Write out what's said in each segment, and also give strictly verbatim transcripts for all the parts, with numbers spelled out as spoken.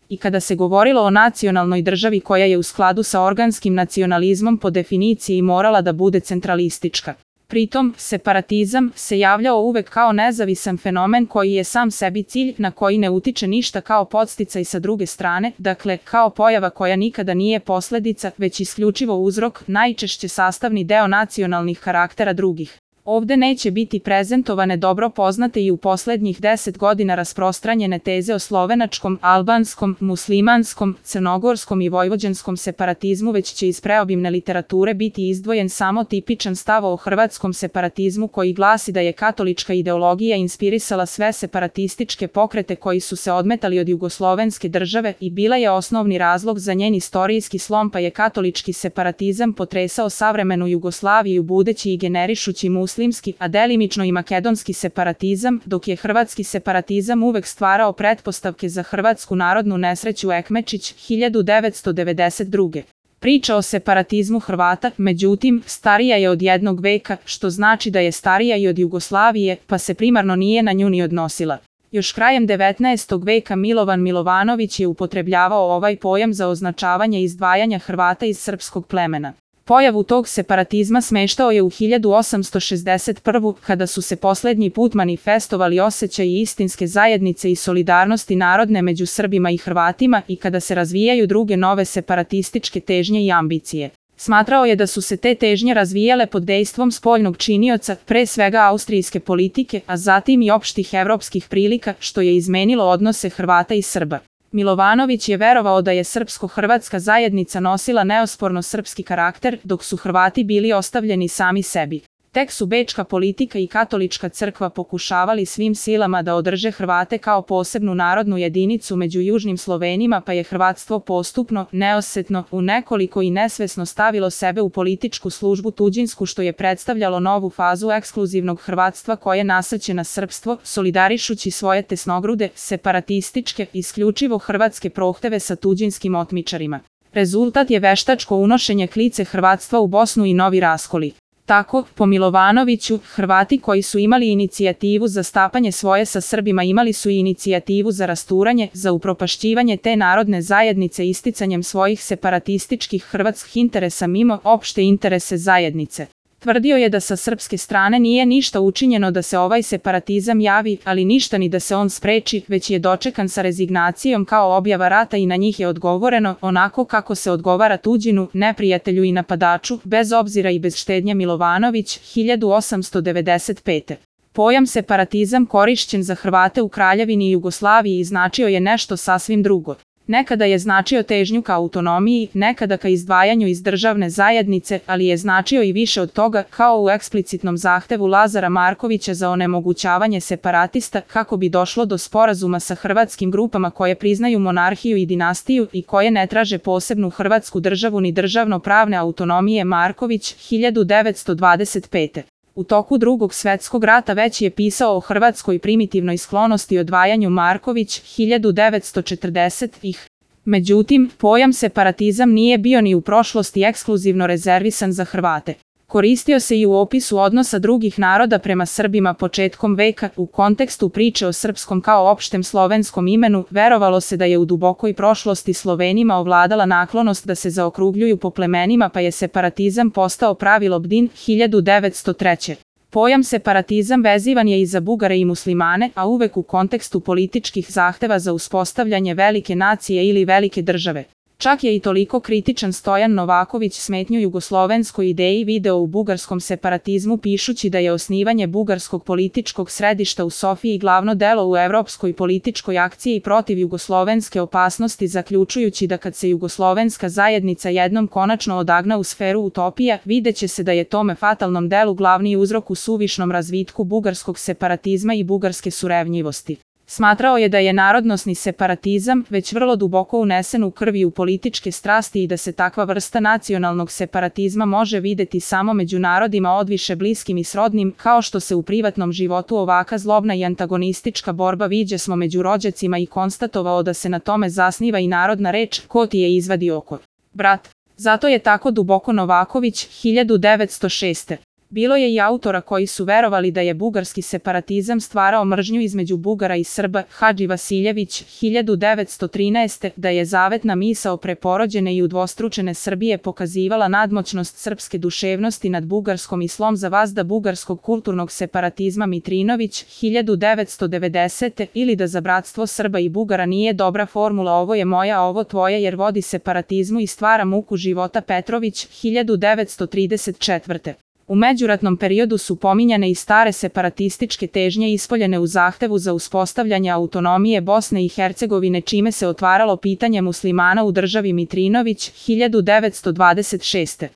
I kada se govorilo o nacionalnoj državi koja je u skladu sa organskim nacionalizmom po definiciji morala da bude centralistička. Pritom, separatizam se javljao uvek kao nezavisan fenomen koji je sam sebi cilj, na koji ne utiče ništa kao podsticaj sa druge strane, dakle, kao pojava koja nikada nije posledica, već isključivo uzrok, najčešće sastavni deo nacionalnih karaktera drugih. Ovde neće biti prezentovane dobro poznate i u poslednjih deset godina rasprostranjene teze o slovenačkom, albanskom, muslimanskom, crnogorskom i vojvođanskom separatizmu, već će iz preobimne literature biti izdvojen samo tipičan stav o hrvatskom separatizmu koji glasi da je katolička ideologija inspirisala sve separatističke pokrete koji su se odmetali od jugoslovenske države i bila je osnovni razlog za njen istorijski slom, pa je katolički separatizam potresao savremenu Jugoslaviju budeći i generišući muslimanski muslimski, a delimično i makedonski separatizam, dok je hrvatski separatizam uvek stvarao pretpostavke za hrvatsku narodnu nesreću. Ekmečić, hiljadu devetsto devedeset druge. Priča o separatizmu Hrvata, međutim, starija je od jednog veka, što znači da je starija i od Jugoslavije, pa se primarno nije na nju ni odnosila. Još krajem devetnaestog veka Milovan Milovanović je upotrebljavao ovaj pojam za označavanje izdvajanja Hrvata iz srpskog plemena. Pojavu tog separatizma smeštao je u hiljadu osamsto šezdeset prve. kada su se poslednji put manifestovali osjećaji istinske zajednice i solidarnosti narodne među Srbima i Hrvatima i kada se razvijaju druge nove separatističke težnje i ambicije. Smatrao je da su se te težnje razvijale pod dejstvom spoljnog činioca, pre svega austrijske politike, a zatim i opštih evropskih prilika, što je izmenilo odnose Hrvata i Srba. Milovanović je verovao da je srpsko-hrvatska zajednica nosila neosporno srpski karakter, dok su Hrvati bili ostavljeni sami sebi. Tek su bečka politika i katolička crkva pokušavali svim silama da održe Hrvate kao posebnu narodnu jedinicu među južnim Slovenima, pa je hrvatstvo postupno, neosetno, u nekoliko i nesvesno stavilo sebe u političku službu tuđinsku, što je predstavljalo novu fazu ekskluzivnog hrvatstva koje nasrće na srpstvo, solidarišući svoje tesnogrude, separatističke, isključivo hrvatske prohteve sa tuđinskim otmičarima. Rezultat je veštačko unošenje klice hrvatstva u Bosnu i novi raskoli. Tako, po Milovanoviću, Hrvati koji su imali inicijativu za stapanje svoje sa Srbima imali su i inicijativu za rasturanje, za upropašćivanje te narodne zajednice isticanjem svojih separatističkih hrvatskih interesa mimo opšte interese zajednice. Tvrdio je da sa srpske strane nije ništa učinjeno da se ovaj separatizam javi, ali ništa ni da se on spreči, već je dočekan sa rezignacijom kao objava rata i na njih je odgovoreno onako kako se odgovara tuđinu, neprijatelju i napadaču, bez obzira i bez štednje. Milovanović, hiljadu osamsto devedeset pete. Pojam separatizam korišćen za Hrvate u Kraljevini i Jugoslaviji značio je nešto sasvim drugo. Nekada je značio težnju ka autonomiji, nekada ka izdvajanju iz državne zajednice, ali je značio i više od toga, kao u eksplicitnom zahtevu Lazara Markovića za onemogućavanje separatista kako bi došlo do sporazuma sa hrvatskim grupama koje priznaju monarhiju i dinastiju i koje ne traže posebnu hrvatsku državu ni državno-pravne autonomije. Marković, hiljadu devetsto dvadeset pete. U toku Drugog svetskog rata već je pisao o hrvatskoj primitivnoj sklonosti i odvajanju. Marković, hiljadu devetsto četrdesetih. Međutim, pojam separatizam nije bio ni u prošlosti ekskluzivno rezervisan za Hrvate. Koristio se i u opisu odnosa drugih naroda prema Srbima početkom veka. U kontekstu priče o srpskom kao opštem slovenskom imenu, verovalo se da je u dubokoj prošlosti Slovenima ovladala naklonost da se zaokrugljuju po plemenima, pa je separatizam postao pravilo. Bdin, hiljadu devetsto treće. Pojam separatizam vezivan je i za Bugare i muslimane, a uvek u kontekstu političkih zahteva za uspostavljanje velike nacije ili velike države. Čak je i toliko kritičan Stojan Novaković smetnju jugoslovenskoj ideji video u bugarskom separatizmu pišući da je osnivanje bugarskog političkog središta u Sofiji glavno delo u evropskoj političkoj akciji protiv jugoslovenske opasnosti, zaključujući da kad se jugoslovenska zajednica jednom konačno odagna u sferu utopija, videće se da je tome fatalnom delu glavni uzrok u suvišnom razvitku bugarskog separatizma i bugarske surevnjivosti. Smatrao je da je narodnosni separatizam već vrlo duboko unesen u krvi u političke strasti i da se takva vrsta nacionalnog separatizma može videti samo među narodima odviše bliskim i srodnim, kao što se u privatnom životu ovaka zlobna i antagonistička borba viđe smo među rođacima i konstatovao da se na tome zasniva i narodna reč ko ti je izvadi oko. Brat. Zato je tako duboko Novaković, hiljadu devetsto šeste. Bilo je i autora koji su verovali da je bugarski separatizam stvarao mržnju između Bugara i Srba, Hadži Vasiljević, hiljadu devetsto trinaeste. da je zavetna misao preporođene i udvostručene Srbije pokazivala nadmoćnost srpske duševnosti nad bugarskom i slom za vazda bugarskog kulturnog separatizma Mitrinović, hiljadu devetsto devedesete. ili da za bratstvo Srba i Bugara nije dobra formula ovo je moja, ovo tvoje jer vodi separatizmu i stvara muku života Petrović, hiljadu devetsto trideset četvrte. U međuratnom periodu su pominjane i stare separatističke težnje ispoljene u zahtevu za uspostavljanje autonomije Bosne i Hercegovine čime se otvaralo pitanje muslimana u državi Mitrinović, hiljadu devetsto dvadeset šeste.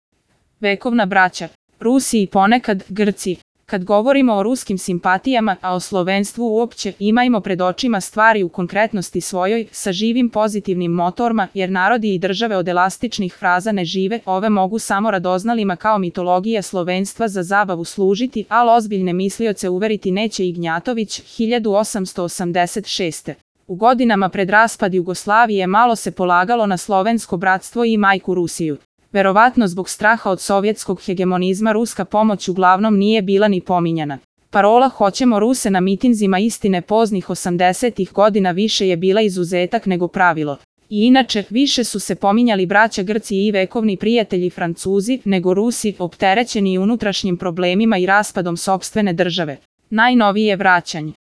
Vekovna braća, Rusi i ponekad Grci. Kad govorimo o ruskim simpatijama, a o slovenstvu uopće, imajmo pred očima stvari u konkretnosti svojoj, sa živim pozitivnim motorima, jer narodi i države od elastičnih fraza ne žive, ove mogu samo radoznalima kao mitologija slovenstva za zabavu služiti, ali ozbiljne mislioce uveriti neće Ignjatović, hiljadu osamsto osamdeset šeste. U godinama pred raspad Jugoslavije malo se polagalo na slovensko bratstvo i majku Rusiju. Verovatno zbog straha od sovjetskog hegemonizma ruska pomoć uglavnom nije bila ni pominjana. Parola "Hoćemo Ruse" na mitinzima istine poznih osamdesetih godina više je bila izuzetak nego pravilo. I inače, više su se pominjali braća Grci i vekovni prijatelji Francuzi, nego Rusi, opterećeni unutrašnjim problemima i raspadom sopstvene države. Najnovije vraćanje.